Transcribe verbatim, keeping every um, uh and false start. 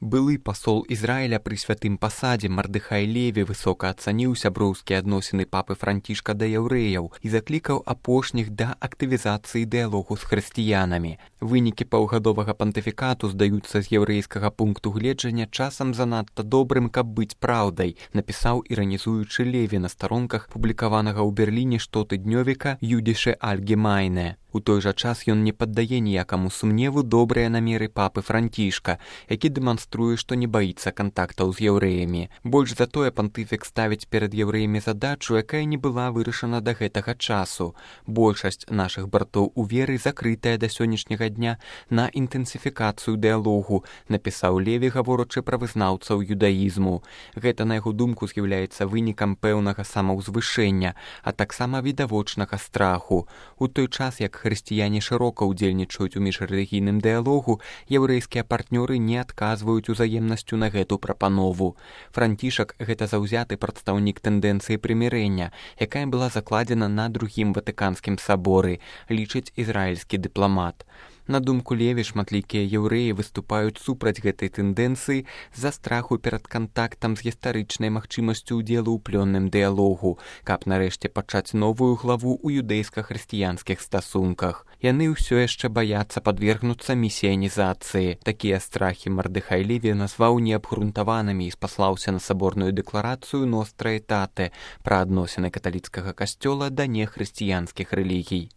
Былы пасол Ізраіля пры святым пасадзе Мардыхай Леві высока ацаніў сяброўскія адносіны папы Францішка да яўрэяў і заклікаў апошніх да актывізацыі дыялогу з хрысціянамі. Вынікі паўгадовага пантыфікату здаюцца з яўрэйскага пункту гледжання часам занадта добрым, каб быць праўдай, напісаў іранізуючы Леві на старонках публікаванага ў Берліне штотыднёвіка «Юдише Альгемайне». У той жа час ён не паддае ніякаму сумневу добрыя намеры папы Францішка, які дэманструе, што не баіцца кантактаў з яўрэямі. Больш за тое пантыфік ставіць перад яўрэямі задачу, якая не была вырашана да гэтага часу. Большасць нашых братоў у веры закрытая да сённяшняга дня на інтэнсіфікацыю дыялогу, напісаў Леві, гаворачы пра вызнаўцаў юдаізму. Гэта, на яго думку, з'яўляецца вынікам пэўнага самаўзвышэння, а таксама відавочнага страху. У той час, як хрысціяне шырока ўдзельнічаюць у міжрэлігійным дыялогу, яўрэйскія партнёры не адказваюць узаемнасцю на гэту прапанову. Францішак – гэта заўзяты прадстаўнік тэндэнцыі прымірэння, якая была закладзена на другім ватыканскім саборы, лічыць ізраільскі дыпламат. На думку Леві, шматлікія яўрэі выступаюць супраць гэтай тэндэнцыі з-за страху перад кантактам з гістарычнай магчымасцю ўдзелу ў плённым дыялогу, каб нарэшце пачаць новую главу ў юдэйска-хрысціянскіх стасунках. Яны ўсё яшчэ баяцца падвергнуцца місіянізацыі. Такія страхі Мардыхай Леві назваў неабгрунтаванымі і спаслаўся на саборную дэкларацыю «Ностра Этате» пра адносіны каталіцкага касцёла да нехрысціянскіх рэлігій.